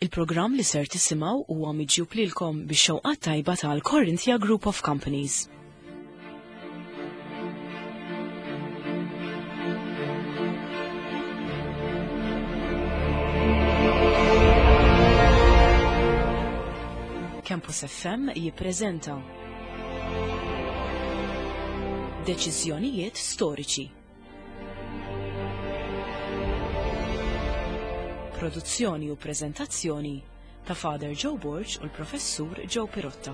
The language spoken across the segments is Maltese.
Il-programm li ser tisimgħu huwa miġjub lilkom bix-xewqat tajba tal-Corinthia Group of Companies. Campus FM jippreżenta Deċiżjonijiet storiċi. Produzzjoni u preżentazzjoni ta' Father Joe Borg u l-Professur Joe Pirotta.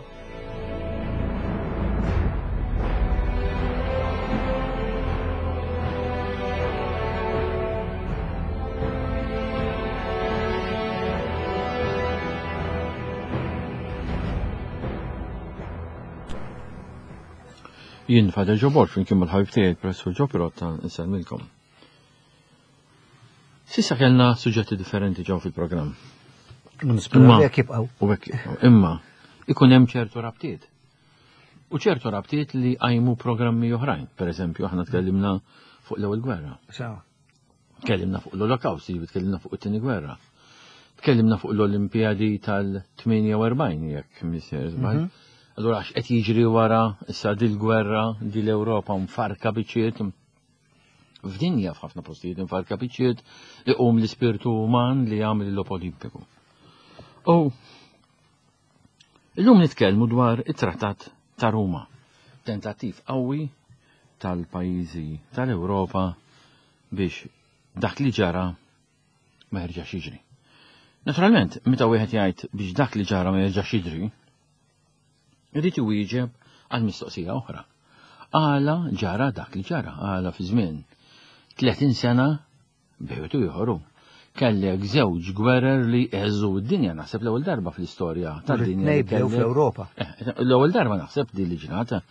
Jien Father Joe Borg flimkien mal-ħabib tiegħi il-Professur Joe Pirotta nsellmilkom. Sissa kellna suġġetti differenti ġew fil-programm. Imma jekk jibqgħu. U hekk jibqgħu. Imma ikun hemm ċertu rabtiet. U ċertu rabtiet li qajmu programmi oħrajn. Per eżempju, aħna tkellimna fuq l-ewwel gwerra. Tkellimna fuq l-Olokawst, jiġifieri tkellimna fuq it-tieni gwerra. Tkellimna fuq l-Olimpijadi tal-48 jekk missier żball. Mhm. Allura għax qed jiġri wara issa dil-gwerra, dil-Ewropa mfarka biċċiet. F'dinja f'ħafna postijiet mfarka biċċiet iqum l-ispirtu uman li jagħmel il-logħob Olimpiku. U illum nitkellmu dwar it-Trattat ta' Ruma, tentattiv qawwi tal-pajjiżi tal-Ewropa biex dak li ġara ma jerġax jiġri. Naturalment, meta wieħed jgħid biex dak li ġara ma jerġax jiġri, irid iwieġeb għal mistoqsija oħra. Għala ġara dak li ġara, għala fi żmien 30 sena bejwet u ieħor kellek żewġ gwerer li eżu d-dinja naħseb l-ewwel darba fl-istorja tad-dinja. Bdew fl-Ewropa. Eh, l-ewwel darba naħseb din li ġrata.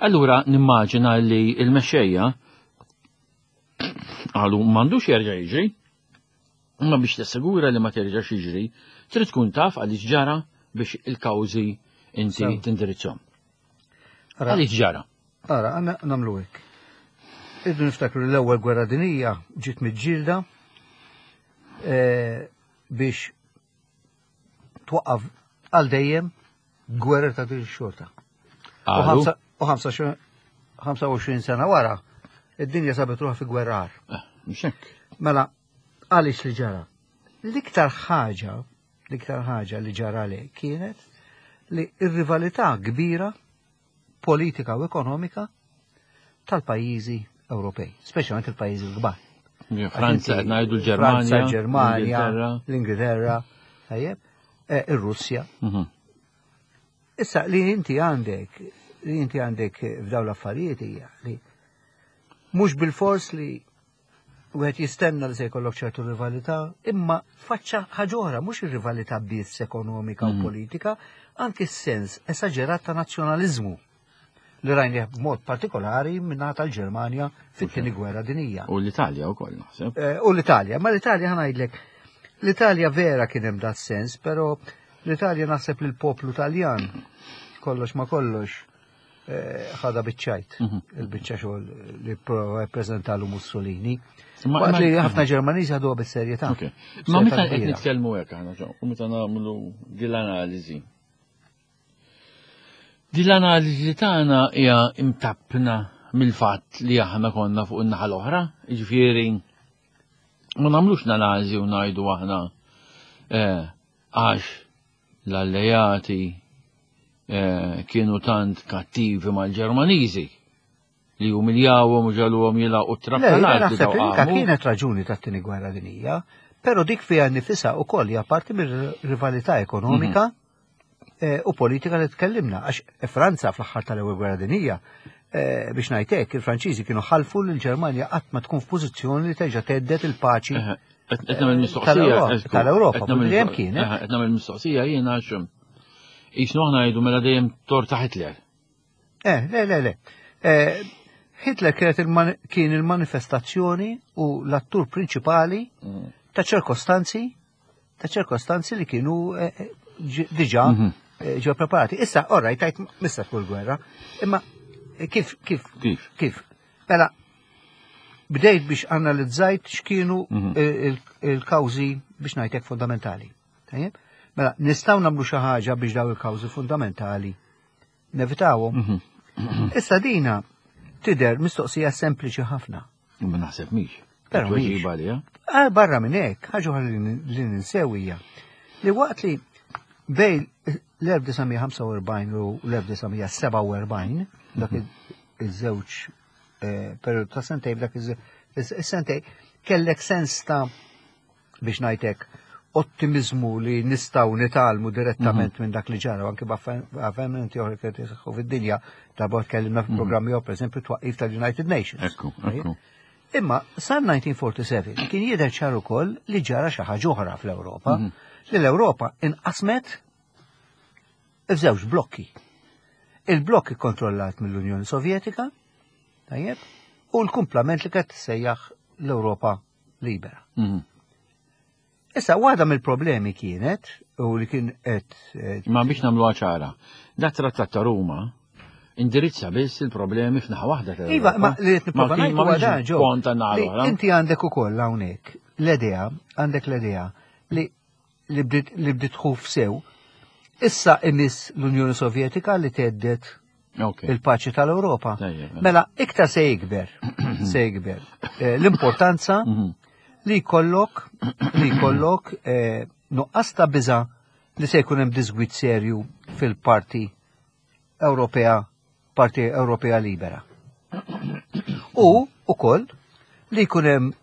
Allura nimmaġina li l-mexxejja Qalu m'għandux jerġa' jiġri. Imma biex tassigura li ma terġax jiġri, trid tkun taf għaliex ġara biex il-kawżi inti tindirizzhom. Għaliex ġara? Ara, għanna namlu hekk. Irdu niftakru l-ewwel gwerra dinija ġiet miġġielda eh, biex twaqqaf għal dejjem gwerra ta' din xorta. U 25 sena wara, id-dinja sabet ruħha fi gwerra eh, Mxek. Mela, għaliex li ġara? L-iktar ħaġa, l-iktar ħaġa li ġara li kienet li ir-rivalità kbira politika u ekonomika tal-pajjiżi Ewropej, speċjalment il-pajjiżi l-kbar. Franza, ngħidu l-Ġermanja. Franza, Ġermanja, l-Ingilterra, tajjeb, eh, ir-Russja. Mhm. Issa li inti għandek, li inti għandek f'dawn l-affarijiet hija li mhux bil-fors li wieħed jistenna li se jkollok ċertu rivalità, imma faċċa ħaġa oħra, mhux ir-rivalità biss ekonomika u mhm. politika, anki s-sens esaġerat ta' nazzjonaliżmu li rajni b'mod partikolari minna tal-Ġermanja fit-tieni gwerra dinija. U l-Italja wkoll naħseb. Eh, u l-Italja, ma l-Italja ħanajdlek, l-Italja vera kien hemm dat sens, però l-Italja naħseb li l-poplu Taljan kollox ma kollox eh, ħada biċċajt, mhm. il-biċċa xogħol li prova jippreżentalu Mussolini. Waqt li ħafna Ġermaniżi ħaduha bis-serjetà. Ma meta qed nitkellmu hekk aħna u meta nagħmlu din l-analiżi. Din l-analiżi tagħna hija imtappna mill-fatt li aħna konna fuq in-naħa l-oħra, jiġifieri ma nagħmlux l-analiżi u ngħidu aħna eh, għax l-allejati eh, kienu tant kattivi mal-Ġermaniżi li umiljawhom u ġaluhom jilgħu t-trab tal-art. Naħseb li dika kienet raġuni tat-tieni gwerra dinija, però dik fiha nifisha wkoll hija parti mir-rivalità ekonomika mhm. eh, u politika li tkellimna għax Franza fl-aħħar tal-ewwel gwerra dinija eh, biex ngħidlek il-Franċiżi kienu ħalfu lil Ġermanja qatt ma tkun f'pożizzjoni li terġa' teddet il-paċi Qed nagħmel mistoqsija tal-Ewropa, dejjem kienet. Qed nagħmel mistoqsija jien għax jisnu aħna ngħidu mela dejjem torta Hitler. Eh, le, le, le. Eh, Hitler kienet kien il-manifestazzjoni u l-attur prinċipali mm. ta' ċirkostanzi ta' ċirkostanzi li kienu eh, eh, diġà mhm. ġew preparati. Issa, orrajt, tajt missa tkun gwerra, imma kif, kif, kif, kif? Mela, bdejt biex analizzajt x'kienu mhm. il-kawżi biex ngħidlek fundamentali. Tajjeb? Mela, nistgħu nagħmlu xi ħaġa biex daw il-kawżi fundamentali nevitawhom. Mhm. Issa dina tidher mistoqsija sempliċi ħafna. Ma naħseb mhix. Però mhix. Ah, barra minn hekk, ħaġa oħra li ninsew hija li waqt li bejn l-1945 u l-1947 dak mhm. iż-żewġ eh, periodu ta' sentej dak iż-sentej kellek sens ta' biex ngħidlek ottimizmu li nistgħu nitgħallmu direttament mhm. minn dak li ġara, anke b'avvenimenti oħra qed jiseħħu fid-dinja, darba tkellimna fil-programmi mhm. pereżempju twaqqif tal-United Nations. Ekku, ekku. Imma sa 1947 kien jidher ċar ukoll li ġara xi ħaġa oħra fl-Ewropa, mhm. li l-Ewropa inqasmet f'żewġ blokki. Il-blokk ikkontrollat mill-Unjoni Sovjetika, tajjeb, u l-kumplament li qed tissejjaħ l-Ewropa libera. Mhm. Issa, waħda mill-problemi kienet, u li kien qed. Eh, Ma biex nagħmlu ċara, dat trattat ta' Ruma indirizza biss il-problemi f'naħa waħda. Iva, ma li qed nipprova ngħid huwa dan ġo. Inti għandek ukoll hawnhekk l-idea, għandek l-idea li li bdiet tħuf sew. Issa imiss l-Unjoni Sovjetika li teddet il-paċi tal-Ewropa. Mela. mela, iktar se jikber, se jikber. Eh, l-importanza mhm. li jkollok li jkollok eh, nuqqas ta' biża li se jkun hemm disgwit serju fil-parti Ewropea, parti Ewropea libera. U ukoll li jkun hemm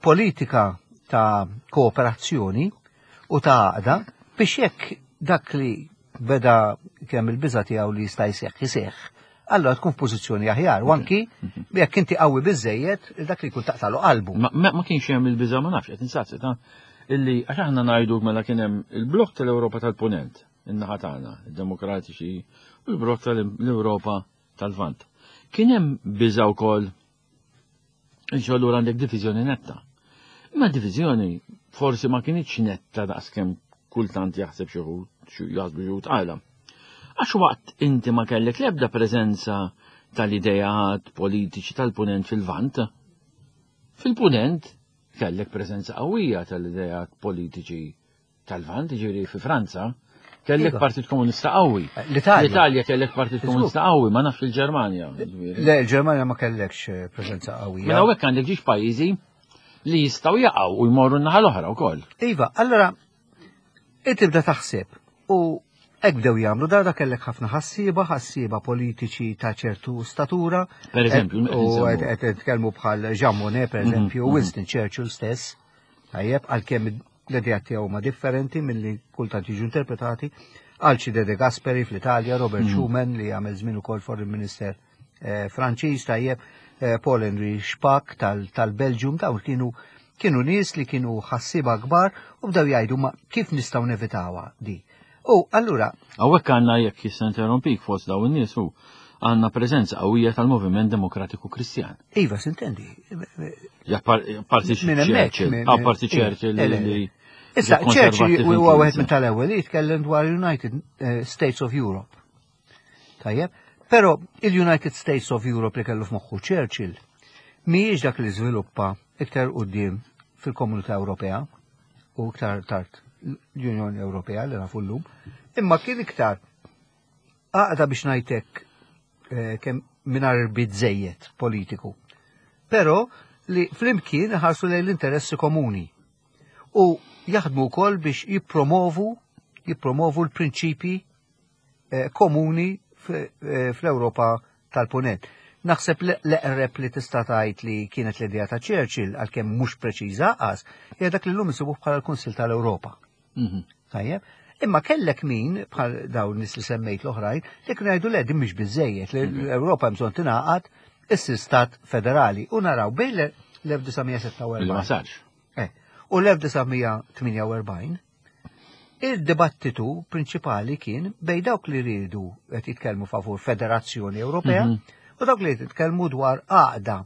politika ta' kooperazzjoni u ta' għaqda biex jekk dak li beda kemm il-biża tiegħu li jista' jseħħ iseħħ, allora tkun f'pożizzjoni aħjar, u anki jekk inti qawwi biżejjed dak li jkun taqtalu qalbu. Ma kienx hemm il-biża ma nafx qed insaqsi ta' illi għax aħna ngħidu mela kien hemm il-blokk tal-Ewropa tal-Punent, in-naħa tagħna, id-Demokratiċi, u l-blokk tal-Ewropa tal-Lvant. Kien hemm biża wkoll Iġu allura għandek diviżjoni netta. Imma diviżjoni forsi ma kienitx netta daqskemm kultant jaħseb xi wħud jaħsbu xi wħud għala. Għax waqt inti ma kellek l-ebda preżenza tal-idejat politiċi tal-punent fil-Lvant, fil-punent kellek preżenza qawwija tal-idejat politiċi tal-Lvant, ġifieri fi Franza, kellek iva. Partit Komunista qawwi. Eh, L-Italja. L-Italja kellek Partit Komunista qawwi, ma nafx il-Ġermanja. Le, il-Ġermanja ma kellekx eh, preżenza qawwija. Mela hawnhekk għandek ġiex pajjiżi li jistgħu jaqgħu u jmorru n-naħa l-oħra wkoll. Iva, allora inti tibda taħseb u hekk bdew jagħmlu darda kellek ħafna ħassieba, ħassieba politiċi ta' ċertu statura. Per eżempju, u qed nitkellmu bħal Jean Monnet, per mhm, eżempju, mhm. Winston Churchill stess. Tajjeb, għalkemm l-ideat tiegħu huma differenti milli kultant jiġu interpretati, Alcide De Gasperi fl-Italja, Robert mm. Schuman li għamel żmien ukoll Foreign Minister eh, Franċiż tajjeb, eh, Paul Henry Spaak tal-Belġium, dawn kienu kienu nies li kienu ħassiba kbar u bdew jgħidu ma kif nistgħu nevitawha di. U allura. Hawnhekk għandna jekk jista' interrompik fost dawn in-nies u għandna preżenza qawwija tal-Moviment Demokratiku Kristjan. Iva, sintendi. Ja parti Churchill, parti Churchill li. Issa, Churchill huwa wieħed minn tal-ewwel li jitkellem dwar United eh, States of Europe. Tajjeb, però il-United States of Europe li kellu f'moħħu Churchill mhijiex dak li żviluppa iktar quddiem fil-Komunità Ewropea u iktar tard l-Unjoni Ewropea li nafu llum, imma kien iktar għaqda biex ngħidlek eh, kemm mingħajr irbit żejjed politiku. Però li flimkien ħarsu lejn l-interessi komuni u jaħdmu wkoll biex jippromovu jippromovu l-prinċipji eh, komuni eh, fl-Ewropa tal-Punent. Naħseb l-eqreb li tista' tgħid li kienet l-idea ta' Churchill għalkemm mhux preċiża qas, hija dak li llum insibuh bħala l-Kunsill tal-Ewropa. Mhm. Tajjeb. Imma kellek min bħal dawn nies li semmejt l-oħrajn li kienu jgħidu le din mhix biżejjed li mhm. l-Ewropa hemm bżonn tingħaqad issir stat federali u naraw bejn l-1946. Ma sarx. Eh, u l-1948 il-dibattitu prinċipali kien bej dawk li rridu qed jitkellmu favur Federazzjoni Ewropea mhm. u dawk li jitkellmu dwar għaqda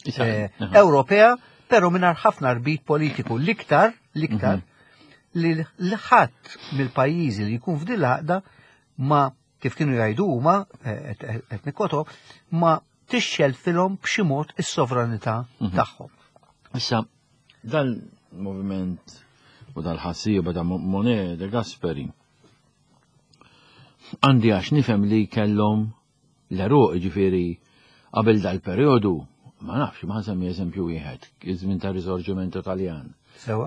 eh, Ewropea, però mingħajr ħafna rbit politiku l-iktar l-iktar mhm. li l-ħadd mill-pajjiżi li jkun f'din l-għaqda ma kif kienu jgħidu huma eh, qed nikkoto ma tixxelfilhom b'xi mod is-sovranità mhm. tagħhom. Issa, dan moviment u dal-ħassieba ta' Monet de Gasperi. Għandi għax nifhem li kellhom l-eruq ġifieri qabel dal-perjodu, ma nafx, ma nsemmi eżempju wieħed, iż-żmien ta' Risorgimento Taljan.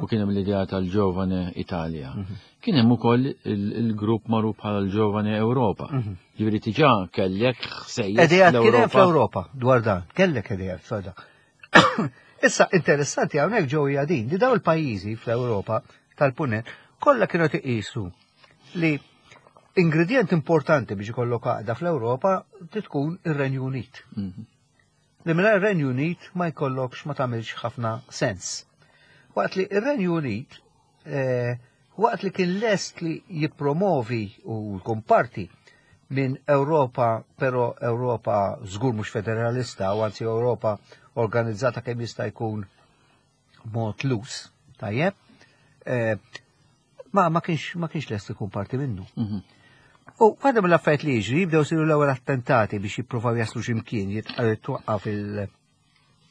U kien hemm l-idea tal-Giovane Italia. Mhm. Kien hemm ukoll il-grupp magħruf bħala l-Giovane Ewropa. Mhm. Ġifieri diġà kellek ħsejjes. Idea kien hemm fl-Ewropa dwar dan, kellek idea f'dan. Issa interessanti hawnhekk ġew hija din li dawn il-pajjiżi fl-Ewropa tal-Punent kollha kienu iqisu li ingredient importanti biex ikollok għaqda fl-Ewropa tkun ir-Renju Unit. Mhm. Li mingħajr ir-Renju Unit ma jkollokx ma tagħmilx ħafna sens. Waqt li ir-Renju Unit eh, waqt li kien lest li jippromovi u jkun parti minn Ewropa, però Ewropa żgur mhux federalista, u anzi Ewropa organizzata kemm jista' jkun mod lus, tajjeb, eh, ma ma kienx ma kienx lest ikun parti minnu. Mhm. U għadha mill-affarijiet li jiġri jibdew siru l-ewwel attentati biex jippruvaw jaslu x'imkien jitwaqqaf il-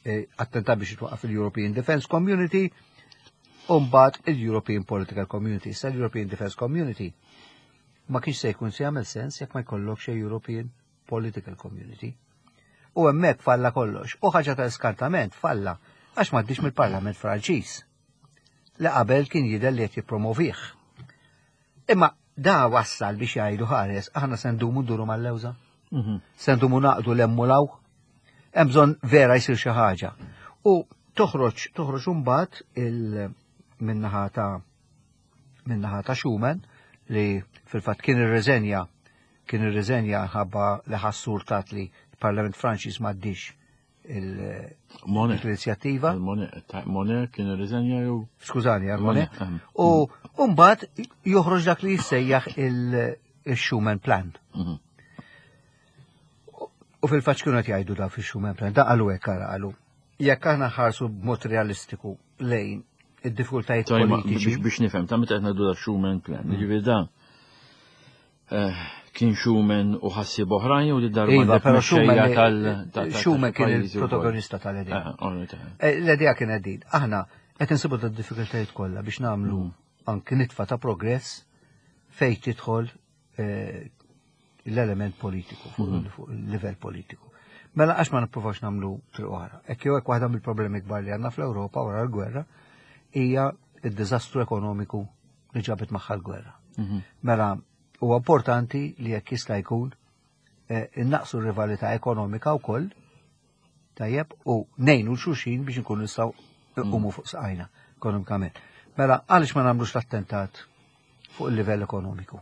eh, attentat biex jitwaqqaf il-European Defence Community u mbagħad il-European Political Community. Issa l-European Defence Community ma kienx se jkun se jagħmel sens jekk ma jkollokx European Political Community. U hemmhekk falla kollox. U ħaġa ta' iskartament falla għax m'għaddix mill-Parlament Franċiż li qabel kien jidher li qed jippromovih. Imma da wassal biex jgħidu ħares aħna se ndumu nduru mal-lewża. Mhm. Se ndumu naqdu l-emmulaw. Hemm bżonn vera jsir xi ħaġa. U toħroġ toħroġ imbagħad il minnaħa ta' minnaħa ta' Schumann li fil-fatt kien irreżenja kien irriżenja ħabba li ħass urtat li l-Parlament Franċiż m'għaddix l-inizjattiva. Monet kien irriżenja jew? Skużani, għal Monet. U mbagħad joħroġ dak li jissejjaħ il-Schumann Plan. Mhm. U fil-fatt kienu qed jgħidu da fix-Schumann Plan, da qalu hekk ara qalu. Jekk aħna ħarsu b'mod realistiku lejn id-diffikultajiet politiċi. Biex nifhem, ta' meta qed ngħidu da Schumann Plan, mm. jiġifieri da eh, kien Schumann u ħassieb oħrajn u li darba iva, però Schumann tal Schumann kien il-protagonista tal-idea. Eh, eh, l-idea kienet din. Aħna qed insibu da diffikultajiet kollha biex nagħmlu mm. anki nitfa ta' progress fejn tidħol l-element politiku, fuq mhm. il-livell politiku. Mela għax ma nipprovax nagħmlu triq oħra. Hekk jew hekk waħda mill-problemi kbar li għandna fl-Ewropa wara l-gwerra hija d-diżastru ekonomiku li ġabet magħha l-gwerra. Mhm. Mela huwa importanti li jekk jista' jkun eh, innaqsu r-rivalità ekonomika wkoll tajjeb u nejnu l-xulxin biex nkunu nistgħu nqumu fuq saqajna ekonomikament. Mela għaliex ma nagħmlux l-attentat fuq il-livell ekonomiku?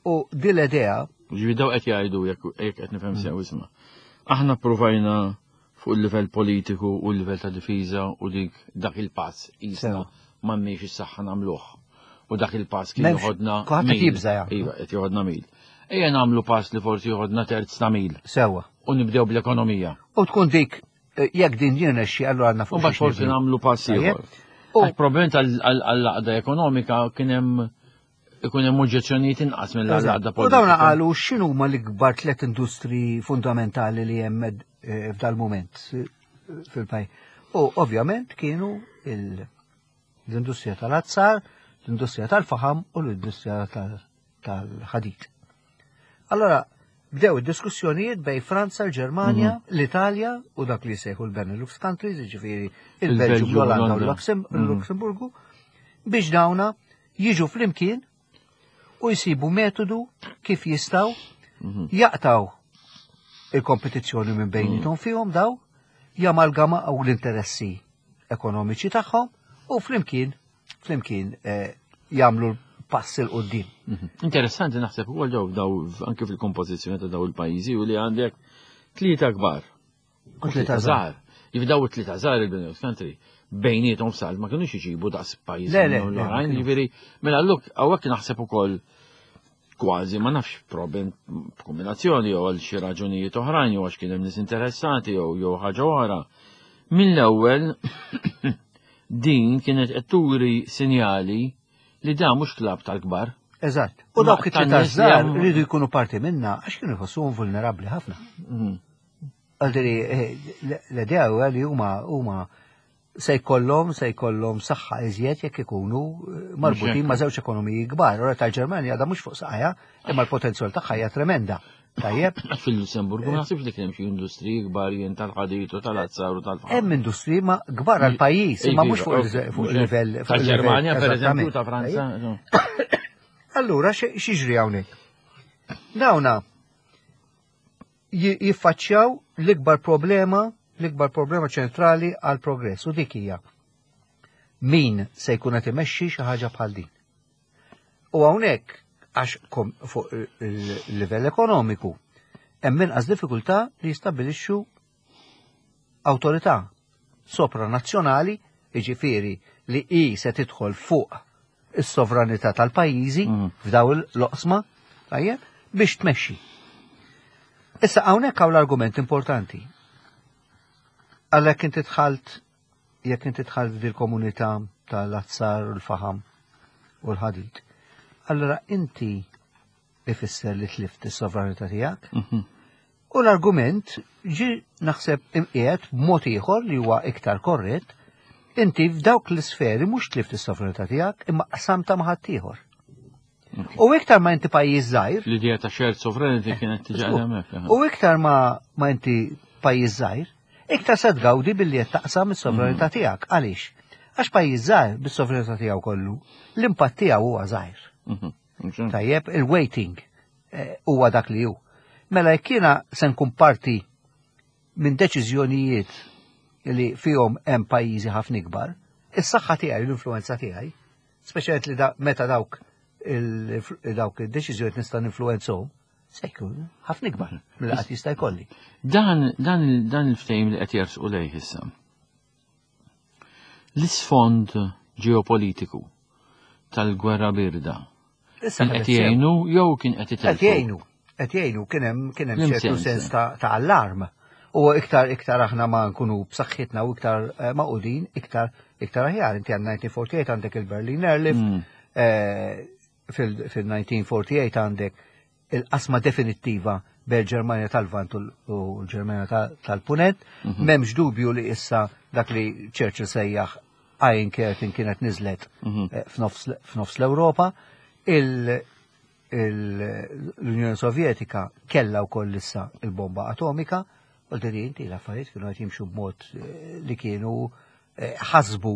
U din l-idea. Ġifi daw qed jgħidu jekk qed nifhem sew mm. isma'. Aħna provajna fuq il-livell politiku u l-livell ta' difiża u dik dak il-pass jisna m'għandniex is-saħħa nagħmluh. U dak il-pass kien joħodna. Kulħadd jibża' Iva, qed joħodna mil. Ejja nagħmlu pass li forsi joħodna terz ta' mil. Sewwa. U nibdew bl-ekonomija. U tkun dik eh, jekk din jirnexxi allura għandna fuq. Mbagħad forsi nagħmlu pass ieħor. U problem tal-għaqda ekonomika kien hemm ikun hemm oġġezzjonijiet inqas mill-għaqda politika. U dawn qalu x'inhuma l-ikbar tliet industri fundamentali li hemm eh, f'dal-mument eh, fil-pajjiż. U ovvjament kienu l-industrija tal-azzar, l-industrija tal-faħam u l-industrija tal-ħadid. Allora, bdew id-diskussjonijiet bej Franza, l-Ġermanja, mhm. l-Italja u dak li jsejħu l-Benelux countries, jiġifieri il-Belġju, l-Olanda u l-Lussemburgu, biex dawna jiġu flimkien u jsibu metodu kif jistaw mhm. jaqtaw il-kompetizzjoni minn bejnietom mhm. fihom daw, jamalgamaw l-interessi ekonomiċi tagħhom u flimkien flimkien eh, jagħmlu pass il qudiem Mhm. Interessanti naħseb ukoll daw daw anke fil-kompożizzjoni ta' daw il-pajjiżi u li għandek tlieta kbar. U tlieta żgħar. Jiġifieri daw it-tlieta żgħar il-Benelux country bejniethom f'salt ma kinux iġibu daqs pajjiżi l-oħrajn, jiġifieri mela alluk hawnhekk naħseb ukoll kważi ma nafx problem b'kombinazzjoni jew għal xi raġunijiet oħrajn jew għax kien hemm nies interessati jew jew ħaġa oħra. Mill-ewwel Din kienet qed turi sinjali li dan mhux klabb tal-kbar. Eżatt. U dawk it-tlieta żgħar rridu jkunu parti minna għax kienu jħossuhom vulnerabbli ħafna. Mhm. Għaldiri, eh, l-idea huwa li huma huma se jkollhom se jkollhom saħħa iżjed jekk ikunu eh, marbutin ma' żewġ ekonomiji kbar. Ora tal-Ġermanja għadha mhux fuq saqajha, imma l-potenzjal tagħha hija tremenda. Tajjeb. Fil-Lussemburgu ma naħsibx li kien hemm xi industriji kbar jien tal-ħadid u tal-azzar u tal-faħam. Hemm industriji ma kbar għal pajjiż, imma mhux fuq il-livell. Tal-Ġermanja pereżempju ta' Franza. Allura x'jiġri hawnhekk? Dawna jiffaċċjaw l-ikbar problema, l-ikbar problema ċentrali għal progress u dik hija min se jkun qed imexxi xi ħaġa bħal din. U hawnhekk għax fuq il-livell ekonomiku hemm inqas diffikultà li jistabbilixxu awtorità sopranazzjonali, jiġifieri li hi se tidħol fuq is-sovranità tal-pajjiżi mm. f'daw l-oqsma, tajjeb, biex tmexxi. Issa hawnhekk hawn l-argument importanti. Għalhekk inti dħalt jekk inti dħalt f'dil-komunità tal-azzar u l-faħam u l-ħadid, allora inti ifisser li tlift is-sovranità tiegħek. Mhm. U l-argument ġi naħseb imqiegħed b'mod ieħor li huwa iktar korrett, inti f'dawk l-isferi mhux tlift is-sovranità tiegħek imma qsamta ma' ħaddieħor. U iktar ma inti pajjiż żgħir. L-idea ta' shared sovereignty eh, kienet tiġi hemmhekk. U iktar ma, ma inti pajjiż żgħir, iktar se tgawdi billi qed taqsam is-sovranità mm. tiegħek. Għaliex? Għax pajjiż żgħir bis-sovranità tiegħu kollu, l-impatt tiegħu huwa żgħir. Mhm. Tajjeb, il-waiting eh, huwa dak li hu. Mela jekk jiena se nkun parti minn deċiżjonijiet li fihom hemm pajjiżi ħafna ikbar, is-saħħa tiegħi, l-influenza tiegħi, speċjalment li da, meta dawk dawk id-deċiżjonijiet nista' ninfluwenzhom, se jkun ħafna ikbar mill qatt jista' jkolli. Dan dan dan il-ftehim li qed jersqu lejh issa. L-isfond ġeopolitiku tal-gwerra birda. Kien qed jgħinu jew kien qed itelfu? Qed jgħinu, qed jgħinu kien hemm kien hemm ċertu sens ta' allarm. U iktar iktar aħna ma nkunu b'saħħitna u iktar eh, maqudin, iktar iktar aħjar. Inti għand 1948 għandek il-Berlin Airlift, mm. eh, fil-1948 għandek il-qasma definittiva bejn il-Ġermanja tal-Lvant u l-Ġermanja tal-Punent. Mhm. M'hemmx dubju li issa dak li Churchill sejjaħ Iron Curtain kienet niżlet mhm. eh, f'nofs l-Ewropa. L-Unjoni Sovjetika kella wkoll issa il-bomba atomika, u l inti l-affarijiet kienu qed jimxu b'mod eh, li kienu eh, ħasbu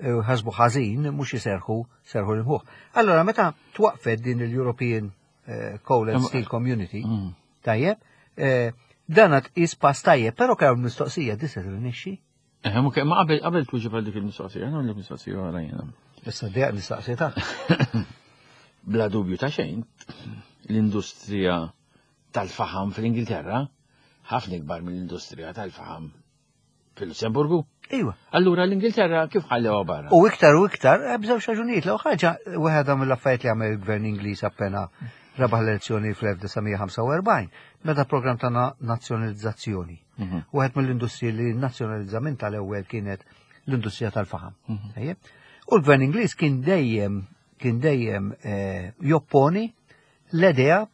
ħasbu ħażin mhux iserħu serħu l-imħuħ. Allora meta twaqfet din il-European eh, Coal and Steel Community, mm. tajjeb, eh, dan tqis pass tajjeb, però kemm mistoqsija di se tirnexxi. Eh, ma qabel qabel tuġi għal dik il-mistoqsija, nagħmlu mistoqsija oħra jiena. Issa dejaq mistoqsija ta' Bla dubju ta' xejn, l-industrija tal-faħam fl-Ingilterra ħafna ikbar mill-industrija tal-faħam Fil-Lussemburgu? Iwa. Allura l-Ingilterra kif ħallewha barra? U iktar u iktar, eh, b'żewġ raġunijiet. L ħaġa, wieħed mill-affarijiet li għamel il-gvern Ingliż appena rebaħ l-elezzjoni fl-1945, meta program ta' nazzjonalizzazzjoni. Mhm. Wieħed mill-industriji li nazzjonalizza minn tal-ewwel kienet l-industrija tal-faħam. Mhm. U l-gvern Ingliż kien dejjem kien dejjem eh, jopponi l-idea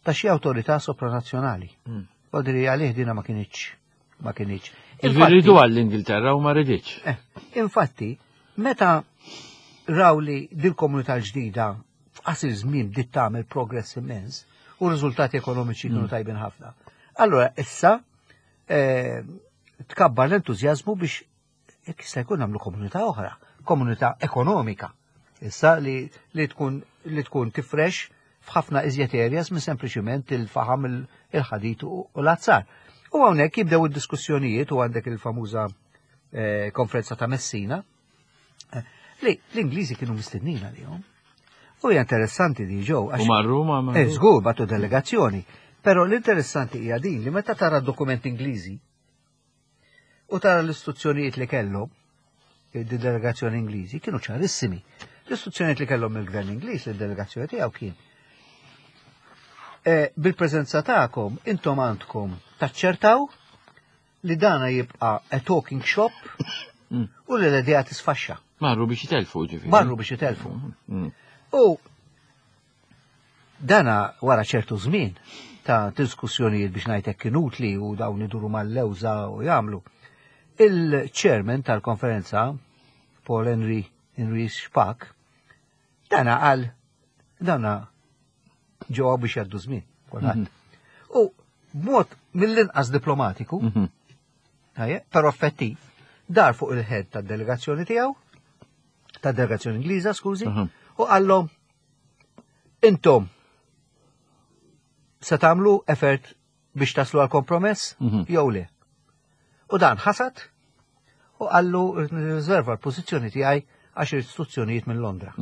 ta' xi awtorità sopranazzjonali. Mm. Odri għalih dina ma kienx ma kienx. Irridu għall-Ingilterra u ma riditx. Eh, infatti, meta raw li dil-komunità l-ġdida f'qasir żmien bdiet tagħmel progress immens u riżultati ekonomiċi kienu mm. tajbin ħafna. Allora issa eh, tkabbar l-entużjażmu biex Jekk jista' jkun nagħmlu komunità oħra, komunità ekonomika. Issa li, li tkun li tkun tifrex f'ħafna iżjed areas minn sempliċiment il-faħam il-ħadid u l-azzar. U hawnhekk jibdew id-diskussjonijiet u għandek il-famuża eh, konferenza ta' Messina eh, li l-Ingliżi kienu mistednin għalihom. U hija interessanti di ġew. U marru ma marru. Eh, żgur batu delegazzjoni. Però l-interessanti hija din li meta tara dokument Ingliżi U tara l-istruzzjonijiet li kellhom id-delegazzjoni Ingliżi kienu ċarissimi. L-istruzzjonijiet li kellhom mill-gvern Ingliż lid-delegazzjoni tiegħu kien e, bil-preżenza tagħkom intom għandkom taċċertaw li dana jibqa' a talking shop mm. u li l-idea tisfaxxa. Marru biex jitelfu ġifieri. Marru biex jitelfu. Mm. U Dana wara ċertu żmien ta' diskussjonijiet biex ngħid hekk inutli u dawn iduru mal-lewża u jagħmlu. Il-chairman tal-konferenza, Paul Henry Henry Spack, dana qal dana ġewwa biex jgħaddu żmien kulħadd. U b'mod mill-inqas diplomatiku, però effettiv, dar fuq il-head tad-delegazzjoni tiegħu, tad-delegazzjoni Ingliża, skużi, u qallhom intom se tagħmlu effort biex taslu għal kompromess jew le. U dan ħasad u qallu nirriserva l-pożizzjoni tiegħi għax istruzzjonijiet minn Londra.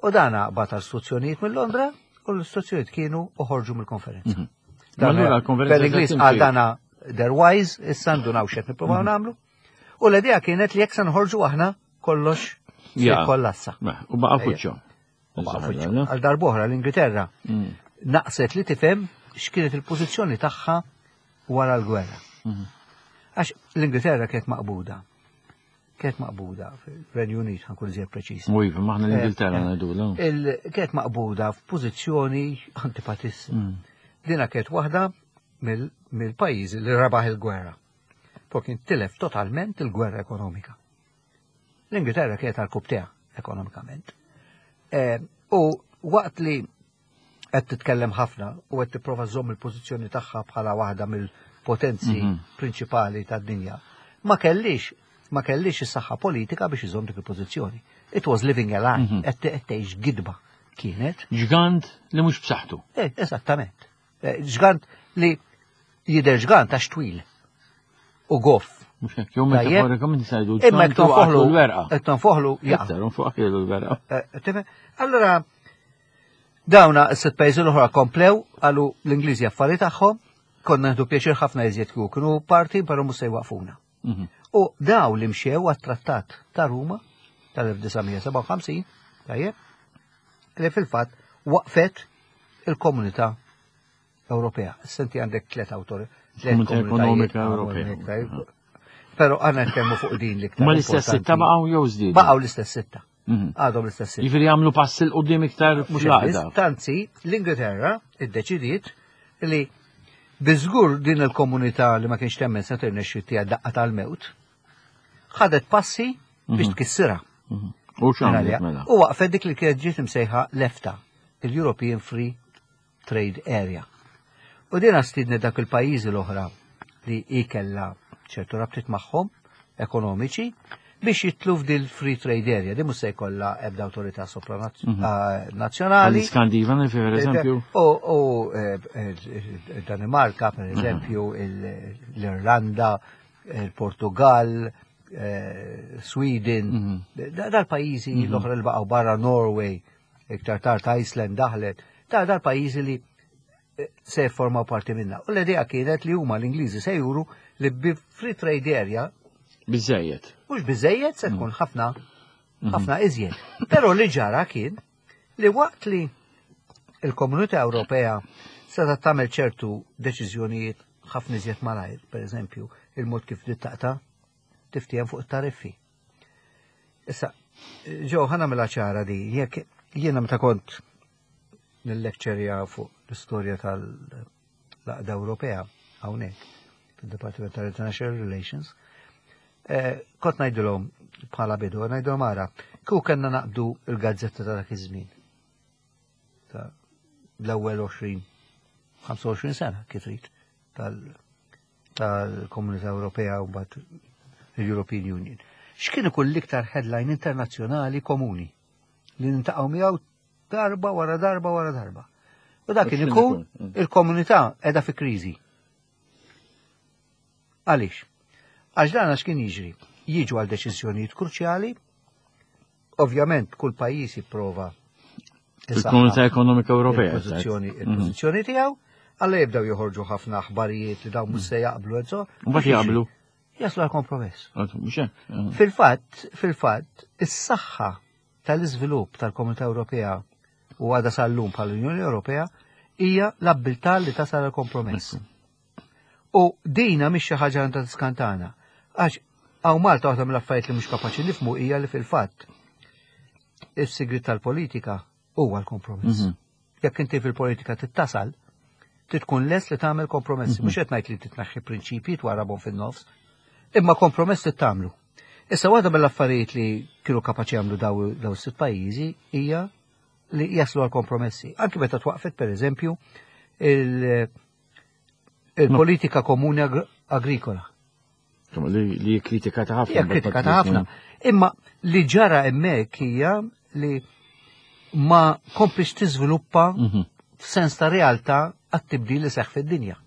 U dan bagħat istruzzjonijiet minn Londra u l-istruzzjonijiet kienu uħorġu mill-konferenza. Ma allura l-konferenza Bel-Ingliż se għal timxi. dana they're wise, issa ndunaw x'qed nippruvaw nagħmlu. U l-idea kienet li jekk se nħorġu aħna kollox se Ja. jkollassa. U baqa' fuċċo. U baqa' fuċċo. Għal darb'oħra l-Ingilterra naqset li tifhem x'kienet il-pożizzjoni tagħha wara l-gwerra. Għax l-Ingilterra kienet maqbuda. Kienet maqbuda fil-Renju Unit, ħa nkun iżjed preċiż. U iva, maħna l-Ingilterra ngħidu. Kienet maqbuda f'pożizzjoni antipatissima. Dina kienet waħda mill-pajjiżi li rebaħ il-gwerra. Poi kien tilef totalment il-gwerra ekonomika. L-Ingilterra kienet għal ekonomikament. U waqt li qed titkellem ħafna u qed tipprova żomm il-pożizzjoni tagħha bħala waħda mill-potenzi prinċipali tad-dinja, ma kellix ma kellix is-saħħa politika biex iżomm dik il-pożizzjoni. It was living a lie, qed tgħix gidba kienet. Ġgant li mhux b'saħħtu. Eżattament. Ġgant li jidher ġgant għax twil u goff. Mhux hekk, jew metaforikament nisajdu Imma jekk tonfoħlu l-werqa. Jekk tonfoħlu jaqa'. Iktar nfuq l-werqa. Tifhem? Allora dawna s-sitt pajjiżi l-oħra komplew qalu l-Ingliżi affari tagħhom, konna nieħdu pjaċir ħafna iżjed kieku kienu parti, però mhux se jwaqfuna. U daw li mxew għat-trattat ta' Ruma tal-1957, tajjeb, li fil-fatt waqfet il-komunità Ewropea. Senti għandek tlet autori. Tlet Komunità Ekonomika komunitajiet, Ewropea. hawnhekk, Però għandna nitkellmu fuq din l-iktar. Ma l-istess sitta importanti. baqgħu jew żdiedu? Baqgħu l-istess sitta. Għadhom l-istess sitta. Jiġifieri jagħmlu pass 'il quddiem iktar Mhux fl-għaqda. biss, Tanzi, l-Ingilterra iddeċidiet li biżgur din il-komunità li ma kienx temmen se tirnexxi tiegħha daqqa tal-mewt, ħadet passi biex tkissirha. U x'għamlet mela? U waqfet dik li kienet ġiet imsejħa l-EFTA, il-European Free Trade Area. U din stidnet dak il-pajjiżi l-oħra li ikella ċertu rabtiet magħhom ekonomiċi biex jitlu f'dil free trade area. Din mhux se jkollha ebda awtorità sopranazzjonali. Għal-Iskandinavi, per eżempju. U Danimarka, per eżempju, l-Irlanda, il-Portugal, Sweden, dal-pajjiżi l-oħra li baqgħu barra Norway, iktar tard Iceland daħlet, dal-pajjiżi li se formaw parti minna. U l-idea kienet li huma l-Ingliżi se juru li bi free trade area Biżejjed. Mhux biżejjed se tkun ħafna ħafna iżjed. Però li ġara kien li waqt li il-Komunità Ewropea seta' tagħmel ċertu deċiżjonijiet ħafna iżjed malajr, per eżempju, il-mod kif taqta' tiftiem fuq it-tariffi. Issa, ġo ħa nagħmilha ċara di, jekk jiena meta kont nil-lecturja fuq l-istorja tal-Għaqda Ewropea hawnhekk fid-Departiment tal-International Relations, kont ngħidilhom bħala bidu, ngħidilhom ara, kieku kellna naqbdu il-gazzetta ta' dak iż-żmien. Ta' l-ewwel 20, 25 sena kif trid tal-Komunità Ewropea u mbagħad l-European Union. X'kien ikun l-iktar headline internazzjonali komuni li nintaqgħu miegħu darba wara darba wara darba. U dak kien X'kien ikun ikun? il-komunità qiegħda fi kriżi. Għaliex? Għax dan għax kien jiġri. Jiġu għal deċiżjonijiet kruċjali, ovvjament kull pajjiż jipprova Il-Komunità Ekonomika Ewropea. il-pożizzjoni il-pożizzjoni tiegħu, alla jibdew joħorġu ħafna aħbarijiet li dawn mhux se jaqblu and so. Mbagħad jaqblu. Jaslu għal kompromess. Mhux hekk. Fil-fatt, fil-fatt, is-saħħa tal-iżvilupp tal-Komunità Ewropea u għada sal-lum bħal-Unjoni Ewropea hija l-abbiltà li tasal għal kompromess. U dina mhix xi ħaġa għandha tiskantana. Għax hawn Malta waħda mill-affarijiet li mhux kapaċi nifhmu hija li fil-fatt is-sigrit tal-politika huwa l-kompromess. Jekk inti fil-politika tittasal, titkun les li tagħmel kompromessi. Mhux qed ngħid li titnaħħi prinċipji twarabhom fin-nofs, Imma kompromess li tagħmlu. Issa waħda mill-affarijiet li kienu kapaċi jagħmlu daw is-sitt pajjiżi hija li jaslu għal kompromessi. Anki meta twaqfet pereżempju il-politika komuni agrikola. Li kritikata ħafna. Hija kritikata ħafna. Imma li ġara hemmhekk hija li ma komplix tiżviluppa mhm. f'sens ta' realtà għat-tibdil li seħħ fid-dinja.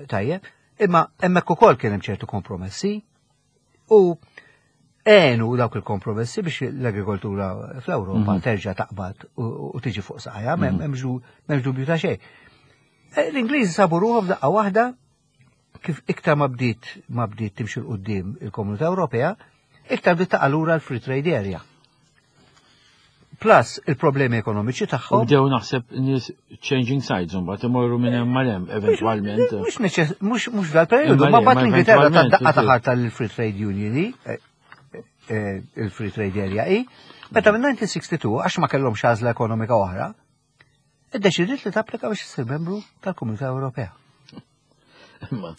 Tajjeb, imma hemmhekk ukoll kien hemm ċertu kompromessi u għenu dawk il-kompromessi biex l-agrikoltura fl-Ewropa mhm. terġa' taqbad u tiġi fuq saqajja, mhm. m'hemmx dubju ta' xejn. Eh, L-Ingliżi sabu ruħhom f'daqqa waħda kif iktar ma bdiet ma bdiet timxi l-qudiem il-Komunità Ewropea, iktar bdiet taqa' lura l-free trade area. Plus il-problemi ekonomiċi tagħhom. Bdew naħseb nies changing sides imbagħad imorru minn hemm mal hemm eventwalment. Mhux mhux mhux dal-perjodu, ma mbagħad l-Ingilterra ta' daqqa ta' ħarta l-free trade union eh, eh, il-free trade area i, meta minn 1962 għax ma kellhomx għażla ekonomika oħra, iddeċidiet li tapplika biex issir membru tal-Komunità Ewropea. Imma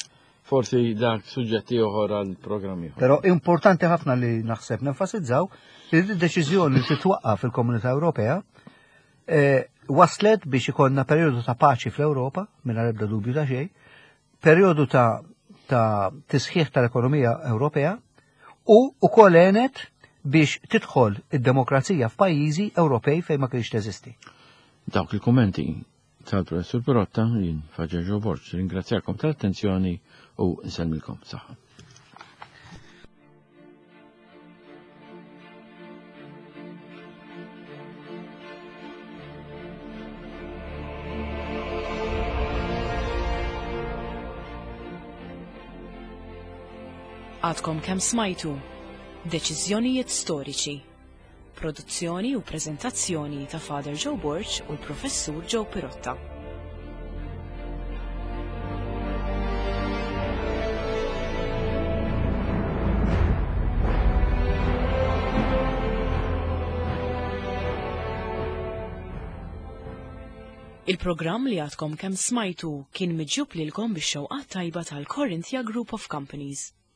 forsi dak suġġetti oħor għal programm ieħor. Però importanti ħafna li naħseb nenfasizzaw li d-deċiżjoni li titwaqqaf fil-Komunità Ewropea eh, waslet biex ikollna perjodu ta' paċi fl-Ewropa, mingħajr ebda dubju ta' xejn, perjodu ta' ta' tisħiħ tal-ekonomija Ewropea u ukoll għenet biex tidħol id-demokrazija f'pajjiżi Ewropej fejn ma kienx teżisti. Dawk il-kummenti tal-Professur Pirotta jien Faġer Ġo Borg. Ringrazzjakom tal-attenzjoni u nsellmilkom saħħa. Għadkom kemm smajtu Deċiżjonijiet Storiċi. Produzzjoni u preżentazzjoni ta' Father Joe Borg u l-Professur Joe Pirotta. Il-programm li għadkom kemm smajtu kien miġjub lilkom bix-xewqat tajba tal-Corinthia Group of Companies.